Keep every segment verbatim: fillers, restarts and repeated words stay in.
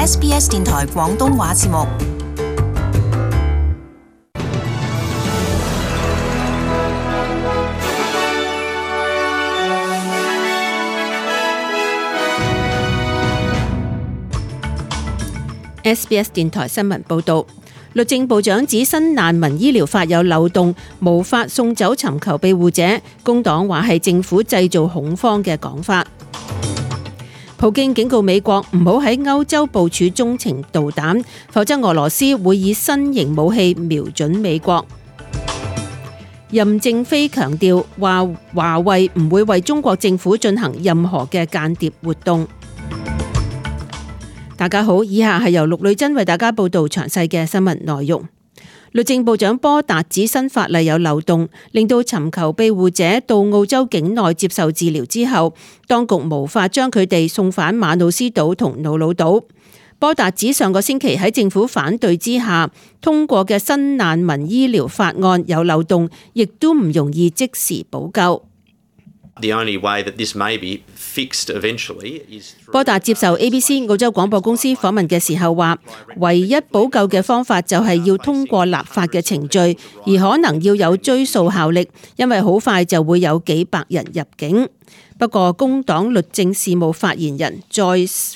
S B S 電台廣東話節目。S B S 電台新聞報導，律政部長指新難民醫療法有漏洞，無法送走尋求庇護者。工黨話係政府製造恐慌嘅講法。普京警告美國唔好喺歐洲部署中程導彈，否則俄羅斯會以新型武器瞄準美國。任正非強調話華為唔會為中國政府進行任何嘅間諜活動。大家好，以下係由陸女珍為大家報道詳細嘅新聞內容。律政部長波達指新法例有漏洞，令到尋求庇護者到澳洲境內接受治療之後，當局無法將佢哋送返馬努斯島同瑙魯島。波達指上個星期喺政府反對之下通過嘅新難民醫療法案有漏洞，亦都唔容易即時補救。波達接受 A B C 澳洲廣播公司訪問嘅時候話，唯一補救嘅方法就係要通過立法嘅程序，而可能要有追溯效力，因為好快就會有幾百人入境。不過工黨律政事務發言人再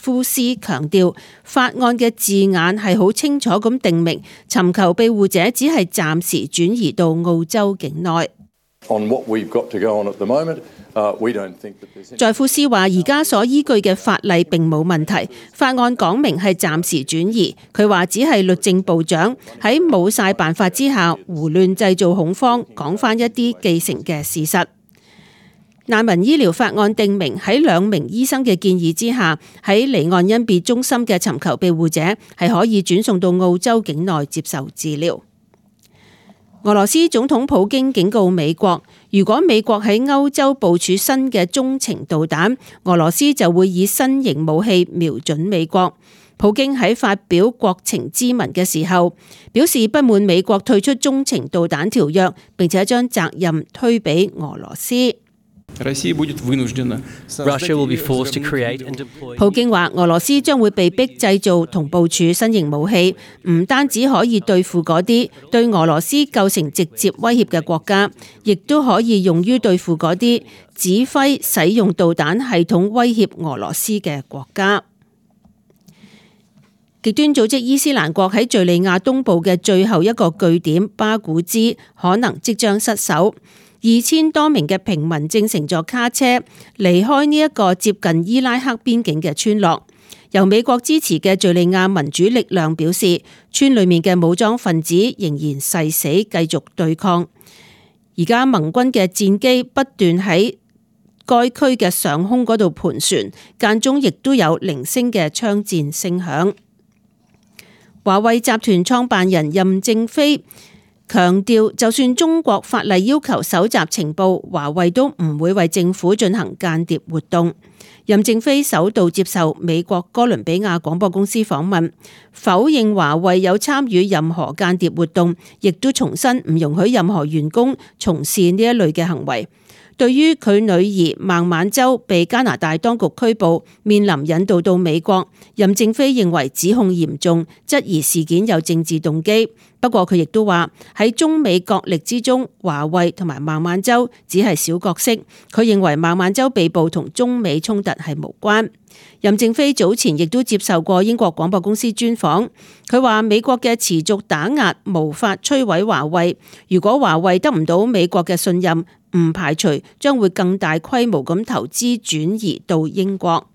夫斯強調，法案嘅字眼係好清楚咁定明，尋求庇護者只係暫時轉移到澳洲境內。在夫斯話：而家所依據嘅法例並冇問題，法案講明係暫時轉移。佢話只係律政部長喺冇晒辦法之下胡亂製造恐慌，講翻一啲既成嘅事實。難民醫療法案定明喺兩名醫生嘅建議之下，喺離岸恩別中心嘅尋求庇護者係可以轉送到澳洲境內接受治療。俄羅斯總統普京警告美國，如果美國喺歐洲部署新嘅中程導彈，俄羅斯就會以新型武器瞄準美國。普京喺發表國情咨文嘅時候，表示不滿美國退出中程導彈條約，並且將責任推俾俄羅斯。普京話俄羅斯將會被逼製造同部署新型武器，唔單止可以對付嗰啲對俄羅斯構成直接威脅嘅國家，亦都可以用於對付嗰啲指揮使用導彈系統威脅俄羅斯嘅國家。極端組織伊斯蘭國喺敘利亞東部嘅最後一個據點巴古茲可能即將失守。二千多名嘅平民正乘坐卡車離開呢一個接近伊拉克邊境嘅村落。由美國支持嘅敘利亞民主力量表示，村裏面嘅武裝分子仍然誓死繼續對抗。而家盟軍嘅戰機不斷喺該區嘅上空嗰度盤旋，間中亦都有零星嘅槍戰聲響。華為集團創辦人任正非強調，就算中國法例要求搜集情報，華為都唔會為政府進行間諜活動。任正非首度接受美國哥倫比亞廣播公司訪問，否認華為有參與任何間諜活動，亦都重申唔容許任何員工從事呢一類嘅行為。對於佢女兒孟晚舟被加拿大當局拘捕，面臨引渡到美國，任正非認為指控嚴重，質疑事件有政治動機。不過佢亦都話喺中美角力之中，華為同埋孟晚舟只係小角色。佢認為孟晚舟被捕同中美衝突係無關。任正非早前亦都接受過英國廣播公司專訪，佢話美國嘅持續打壓無法摧毀華為，如果華為得唔到美國嘅信任，唔排除將會更大規模咁投資轉移到英國。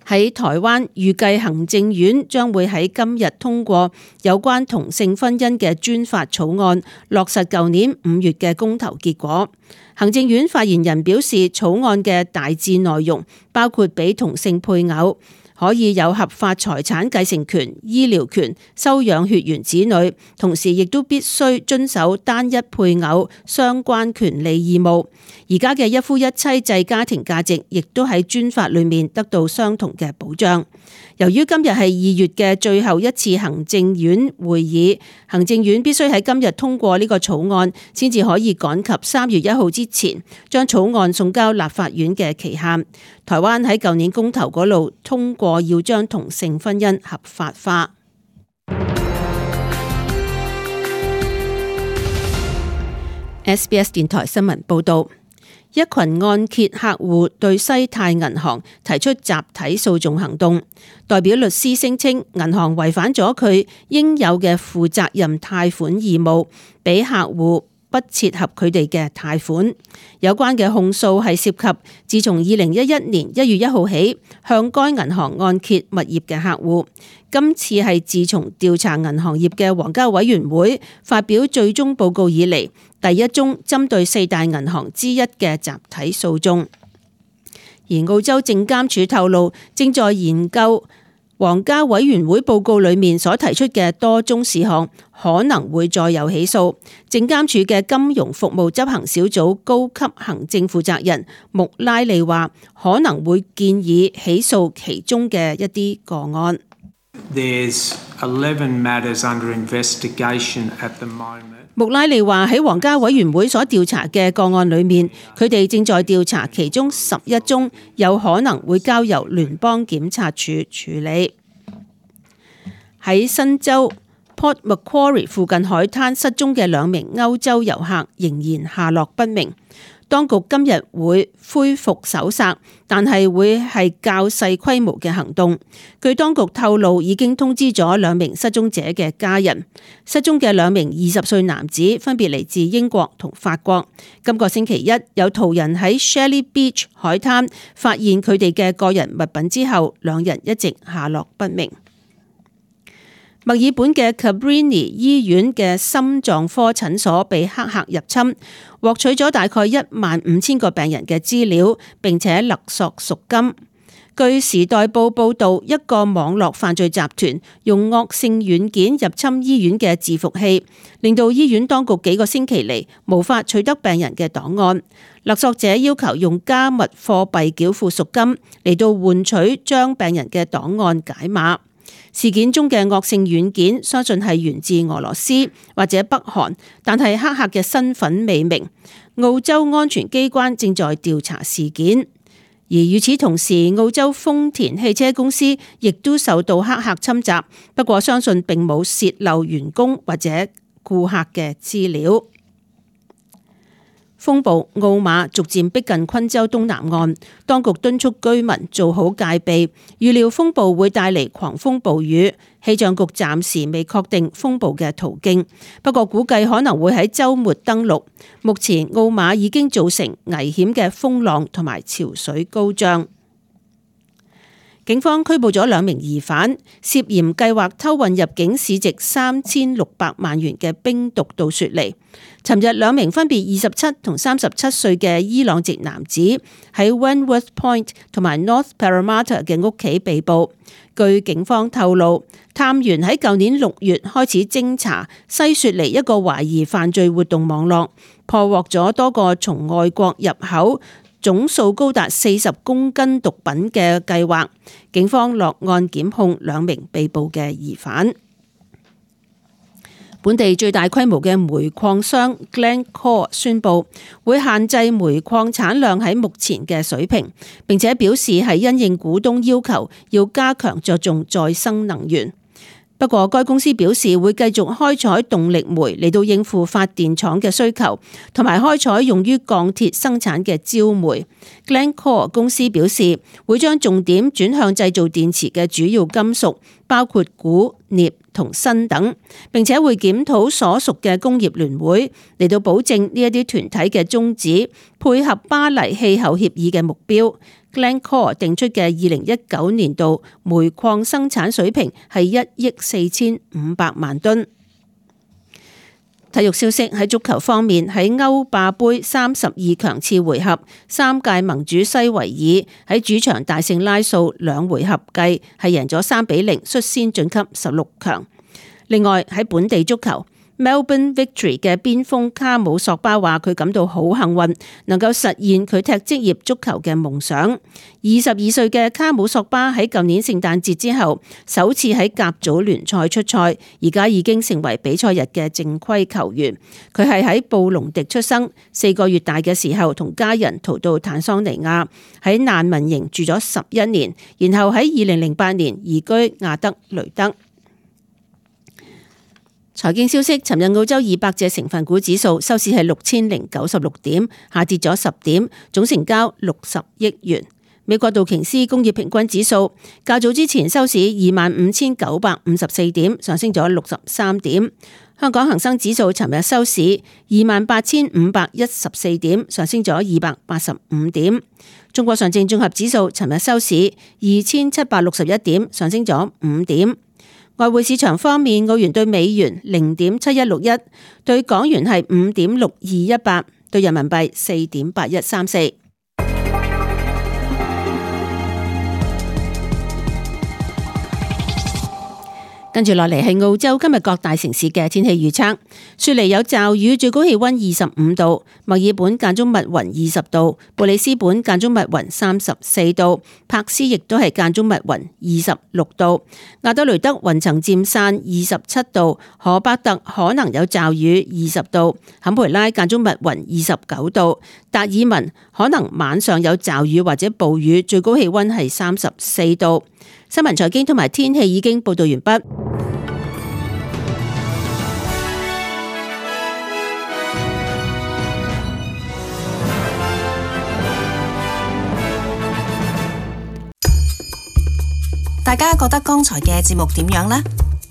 喺台灣，預計行政院將會喺今日通過有關同性婚姻嘅專法草案，落實舊年五月嘅公投結果。行政院發言人表示，草案嘅大致內容包括俾同性配偶可以有合法財產繼承權、醫療權、收養血緣子女，同時亦都必須遵守單一配偶相關權利義務。而家嘅一夫一妻制家庭價值亦都喺專法裏面得到相同嘅保障。由於今日係二月嘅最後一次行政院會議，行政院必須喺今日通過呢個草案，先至可以趕及三月一號之前將草案送交立法院嘅期限。台灣喺舊年公投嗰度通過要將同性婚姻合法化。S B S 電台新聞報道，一群按揭客戶對西太銀行提出集體訴訟行動，代表律師聲稱銀行違反咗佢應有嘅負責任貸款義務，俾客戶不切合佢哋嘅貸款。有關嘅控訴係涉及自從二零一一年一月一號起向該銀行按揭物業嘅客戶。今次係自從調查銀行業嘅皇家委員會發表最終報告以嚟，第一宗針對四大銀行之一嘅集體訴訟。而澳洲證監署透露，正在研究皇家委員會報告裏面所提出嘅多宗事項，可能會再有起訴。證監署嘅金融服務執行小組高級行政負責人穆拉利話，可能會建議起訴其中嘅一啲個案。There's eleven matters under investigation at the moment. 穆拉利話喺皇家委員會所調查嘅個案裏面，佢哋正在調查其中十一宗有可能會交由聯邦檢察署處理。喺新州 Port Macquarie 附近海灘失蹤嘅兩名歐洲遊客仍然下落不明。當局今日會恢復搜索，但係會係較細規模嘅行動。據當局透露，已經通知咗兩名失蹤者嘅家人。失蹤嘅兩名二十歲男子分別嚟自英國同法國。今個星期一，有途人喺 Shelley Beach 海灘發現佢哋嘅個人物品之後，兩人一直下落不明。墨爾本嘅 Cabrini 醫院嘅心臟科診所被黑客入侵，獲取咗大概一萬五千個病人嘅資料，並且勒索贖金。據時代報報道，一個網絡犯罪集團用惡性軟件入侵醫院嘅伺服器，令到醫院當局幾個星期嚟無法取得病人嘅檔案。勒索者要求用加密貨幣繳付贖金嚟到換取將病人嘅檔案解碼。事件中嘅惡性軟件相信係源自俄羅斯或者北韓，但係黑客嘅身份未明。澳洲安全機關正在調查事件。而與此同時，澳洲豐田汽車公司亦都受到黑客侵襲，不過相信並冇洩漏員工或者顧客嘅資料。風暴奧馬逐漸逼近昆州東南岸，當局敦促居民做好戒備，預料風暴會帶嚟狂風暴雨。氣象局暫時未確定風暴嘅途徑，不過估計可能會喺週末登陸。目前奧馬已經造成危險嘅風浪同埋潮水高漲。警方拘捕咗兩名疑犯，涉嫌計劃偷運入境市值三千六百萬元嘅冰毒到雪梨。尋日兩名分別二十七同三十七歲嘅伊朗籍男子喺 Wentworth Point 同埋 North Parramatta 嘅屋企被捕。據警方透露，探員喺舊年六月開始偵查西雪梨一個懷疑犯罪活動網絡，破獲咗多個從外國入口總數高達四十公斤毒品嘅計劃。警方落案檢控兩名被捕嘅疑犯。本地最大規模嘅煤礦商 Glencore 宣布會限制煤礦產量喺目前嘅水平，並且表示係因應股東要求，要加強着重再生能源。不過，該公司表示會繼續開採動力煤嚟到應付發電廠嘅需求，同埋開採用於鋼鐵生產嘅焦煤。Glencore 公司表示會將重點轉向製造電池嘅主要金屬，包括鈷、鎳同砷等，並且會檢討所屬嘅工業聯會嚟到保證呢一啲團體嘅宗旨，配合巴黎氣候協議嘅目標。Glencore 定出嘅二零一九年度煤礦生產水平係一億四千五百萬噸。體育消息，喺足球方面，喺歐霸盃三十二強次回合，三屆盟主西維爾喺主場大勝拉素，兩回合計係贏咗三比零，率先晉級十六強。另外喺本地足球， Melbourne Victory 嘅邊鋒卡姆索巴話佢感到好幸運，能夠實現佢踢職業足球嘅夢想。二十二歲嘅卡姆索巴喺舊年聖誕節之後首次喺甲組聯賽出賽，而家已經成為比賽日嘅正規球員。佢係喺布隆迪出生，四個月大嘅時候同家人逃到坦桑尼亞，喺難民營住咗十一年，然後喺二零零八年移居亞德雷德。財經消息，尋日澳洲二百隻成分股指數收市係六千零九十六點，下跌咗十點，總成交六十億元。美國道瓊斯工業平均指數較早之前收市二萬五千九百五十四點，上升咗六十三點。香港恒生指數尋日收市二萬八千五百一十四點，上升咗二百八十五點。中國上證綜合指數尋日收市二千七百六十一點，上升咗五點。外匯市場方面，澳元對美元零點七一六一，對港元係五點六二一八，對人民幣四點八一三四。跟住落嚟係澳洲今日各大城市嘅天氣預測。雪梨有驟雨，最高氣溫二十五度；墨爾本間中密雲二十度；布里斯本間中密雲三十四度；柏斯亦都係間中密雲二十六度；亞德雷德雲層漸散二十七度；荷伯特可能有驟雨二十度；坎培拉間中密雲二十九度；達爾文可能晚上有驟雨或者暴雨，最高氣溫係三十四度。新聞財經同埋天氣已經報道完畢。大家覺得剛才嘅節目點樣呢？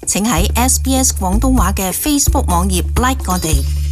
請喺 S B S 廣東話嘅 Facebook 網頁 like 我哋。